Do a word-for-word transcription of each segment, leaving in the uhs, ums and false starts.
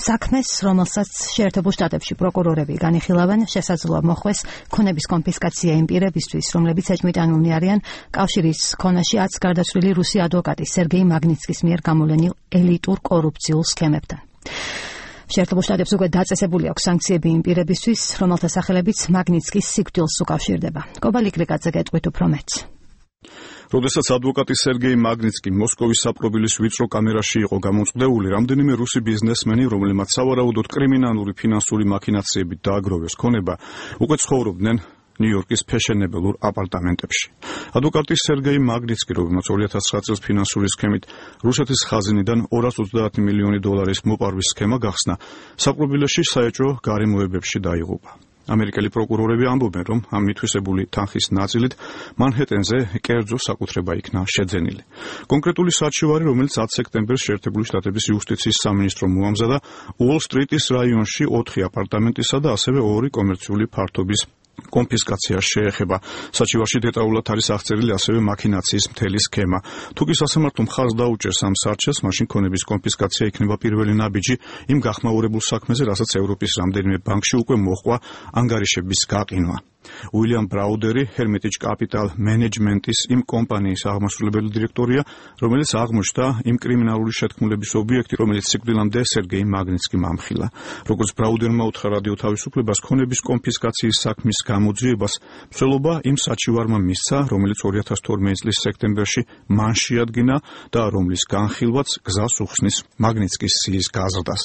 საქმეს, რომელსაც შეერთებულ შტატებში პროკურორები განიხილავენ, შესაძლოა მოხვეს ქონების კონფისკაცია იმ პირებისთვის, რომლებიც ეჭვმიტანილნი არიან კავშირის ქონაში ათს გარდაცვლილი რუსი ადვოკატი სერგეი მაგნიცკის მიერ გამოვლენილ ელიტურ კორუფციულ სქემებთან. შეერთებულ შტატებს უკვე დაწესებული აქვს სანქციები იმ პირებისთვის, რომელთა სახელებიც მაგნიცკის სიკვდილს უკავშირდება. კობალიკ რიკაძე გეტყვით უფრო მეტს. როდესაც ადვოკატი სერგეი მაგნიცკი მოსკოვის საპყრობილის ვიწრო კამერაში იყო გამოწვდეული, რამდენიმე რუსი ბიზნესმენი, რომლებმაც სავარაუდოდ კრიმინალური ფინანსური მაქინაციებით დააგროვეს ქონება, უკვე ცხოვრობდნენ ნიუ-იორკის ფეშენებელურ აპარტამენტებში. ადვოკატი სერგეი მაგნიცკი, რომელმაც ორი ათას ცხრა წელს ფინანსური სქემით რუსეთის ხაზინიდან ორას ოცდაათი მილიონი დოლარის მოპარვის სქემა გახსნა, საპყრობილეში საეჭვო გარემოებებში დაიღუპა. ამერიკელი პროკურორები ამბობენ, რომ ამ მითვისებული თანხის ნაწილით მანჰეტენზე კერძო საკუთრება იქნა შეძენილი. კონკრეტული საჩივარი, რომელიც ათი სექტემბერს შეერთებული შტატების იუსტიციის სამინისტრომ მოამზადა, უოლ-სტრიტის რაიონში ოთხი აპარტამენტისა და ასევე ორი კომერციული ფართობის კონფისკაციას შეეხება. საჩივარში დეტალურად არის აღწერილი ასევე მაქინაციის მთელი სქემა. თუ კი სასამართლო მხარს დაუჭერს ამ სარჩელს, მაშინ ქონების კონფისკაცია იქნება პირველი ნაბიჯი იმ გახმაურებულ საქმეზე, რასაც ევროპის რამდენიმე ბანკში უკვე მოჰყვა ანგარიშების გაყინვა. უილიამ ბრაუდერი, ჰერმიტიჯ კაპიტალ მენეჯმენტის იმ კომპანიის აღმასრულებელი დირექტორია, რომელიც აღმოჩნდა იმ კრიმინალური შეთქმულების ობიექტი, რომელიც სიკვდილამდე სერგეი მაგნიცკიმ ამხილა. როგორც ბრაუდერმა უთხრა რადიო თავისუფლებას, ქონების კონფისკაციის საქმის გამოძიებას მსვლელობა იმ საჩივარმა მისცა, რომელიც ორი ათას თორმეტი წლის სექტემბერში მან შეადგინა და რომლის განხილვაც გზას უხსნის მაგნიცკის სიის გაზრდას.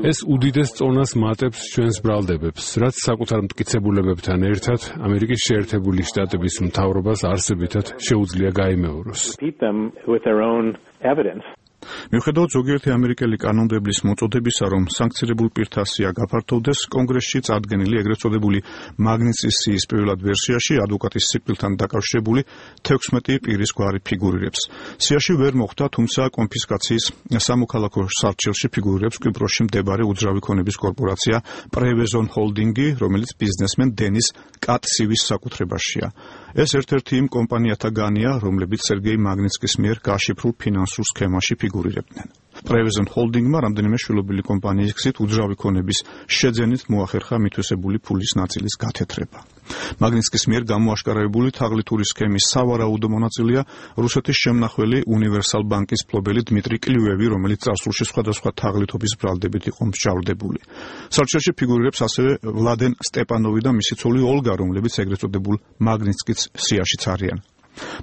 ეს უდიდეს წონას მატებს ჩვენს ბრალდებებს, რაც საკუთარ მტკიცებულებებთან ერთად ამერიკის შეერთებული შტატების მთავრობას არსებითად შეუძლია გაიმეოროს. მიუხედავად ზოგიერთი ამერიკელი კანონმდებლის მოწოდებისა, რომ სანქცირებულ პირთა სია გაფართოვდეს, კონგრესში წარდგენილი ეგრეთ წოდებული მაგნიცკის სიის პირველად ვერსიაში ადვოკატის სიკვდილთან დაკავშირებული თექვსმეტი პირის გვარი ფიგურირებს. სიაში ვერ მოხვდა, თუმცა კონფისკაციის სამოქალაქო სარჩელში ფიგურირებს კვიპროსში მდებარე უძრავი ქონების კორპორაცია პრევეზონ ჰოლდინგი, რომელიც ბიზნესმენ დენის კატსივის საკუთრებაშია. ეს ერთ-ერთი იმ კომპანიათაგანია, რომლებიც სერგეი მაგნიცკის მიერ გაშიფრულ ფინანსურ სქემაში ფიგურირებდნენ. პრევეზონ ჰოლდინგმა რამდენიმე შვილობილი კომპანიის გზით უძრავი ქონების შეძენით მოახერხა მითვისებული ფულის ნაწილის გათეთრება. მაგნიცკის მიერ გამოაშკარებული თაღლითური სქემის სავარაუდო მონაწილეა რუსეთის შემნახველი უნივერსალ ბანკის მფლობელი დმიტრი კლივევი, რომელიც წარსულში სხვადასხვა თაღლითობის ბრალდებით იყო მსჯავრდებული. სარჩელში ფიგურირებს ასევე ვლადენ სტეპანოვი და მისი ცოლი ოლგა, რომლებიც ეგრეთ წოდებულ მაგნიცკის სიაშიც არიან.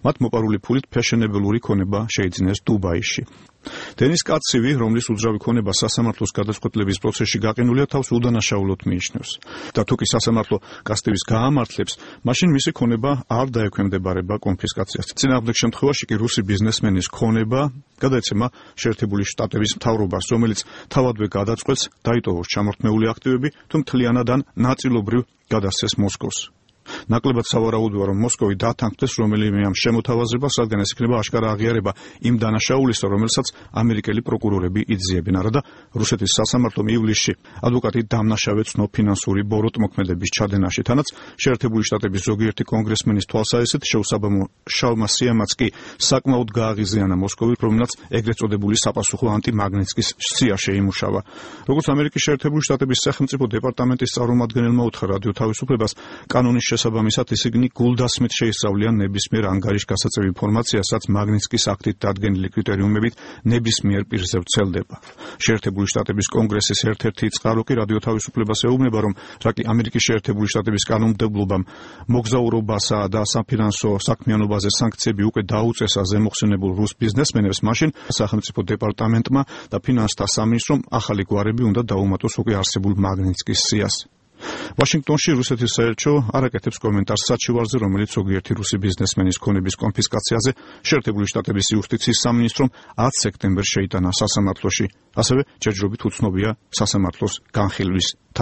მათ მოპარული ფულით ფეშენებელური ქონება შეიძინეს დუბაიში. დენის კატსივი, რომლის უძრავი ქონება სასამართლოს გადაწყვეტილების პროცესში გაყინულია, თავს უდანაშაულოდ მიიჩნევს. და თუ კი სასამართლო კატსივის გაამართლებს, მაშინ მისი ქონება არ დაექვემდებარება კონფისკაციას. წინააღმდეგ შემთხვევაში კი რუსი ბიზნესმენის ქონება გადაეცემა შეერთებული შტატების მთავრობას, რომელიც თავადვე გადაწყვეტს დაიტოვოს ჩამორთმეული აქტივები, თუ მთლიანად ან ნაწილობრივ გადასცეს მოსკოვს. ნაკლებად სავარაუდოა, რომ მოსკოვი დათანხმდეს რომელიმე ამ შემოთავაზებას, რადგან ეს იქნება აშკარა აღიარება იმ დანაშაულისა, რომელსაც ამერიკელი პროკურორები იძიებენ. არადა რუსეთის სასამართლომ ივლისში ადვოკატი დამნაშავე ცნო ფინანსური ბოროტმოქმედების ჩადენაში, თანაც შეერთებული შტატების ზოგიერთი კონგრესმენის თვალსაჩინო შეუსაბამო შალმა სიამაც კი საკმაოდ გააღიზიანა მოსკოვი, რომელმაც ეგრეთ წოდებული საპასუხო ანტიმაგნიცკის სია შეიმუშავა. როგორც ამერიკის შეერთებული შტატების სახელმწიფო დეპარტამენტის წარმომადგენელმა უთხრა რადიო თავისუფლებას, კანონის შესაბამისად ისინი გულდასმით შეისწავლიან ნებისმიერ ანგარიშგასაწევ ინფორმაციას, რაც მაგნიცკის აქტით დადგენილი კრიტერიუმებით ნებისმიერ პირზე ვრცელდება. შეერთებული შტატების კონგრესის ერთ-ერთი წყარო კი რადიო თავისუფლებას ეუბნება, რომ რაკი ამერიკის შეერთებული შტატების კანონმდებლობამ მოგზაურობასა და საფინანსო საქმიანობაზე სანქციები უკვე დაუწესა ზემოხსენებულ რუს ბიზნესმენებს, მაშინ სახელმწიფო დეპარტამენტმა და ფინანსთა სამინისტრომ ახალი გვარები უნდა დაუმატოს უკვე არსებულ მაგნიცკის სიას. ვაშინგტონში რუსეთის საელჩო არ აკეთებს კომენტარს საჩივარზე, რომელიც ზოგიერთი რუსი ბიზნესმენის ქონების კონფისკაციაზე შეერთებული შტატების იუსტიციის სამინისტრომ ათი სექტემბერს შეიტანა სასამართლოში. ასევე ჯერჯერობით უცნობია სასამართლოს განხილვის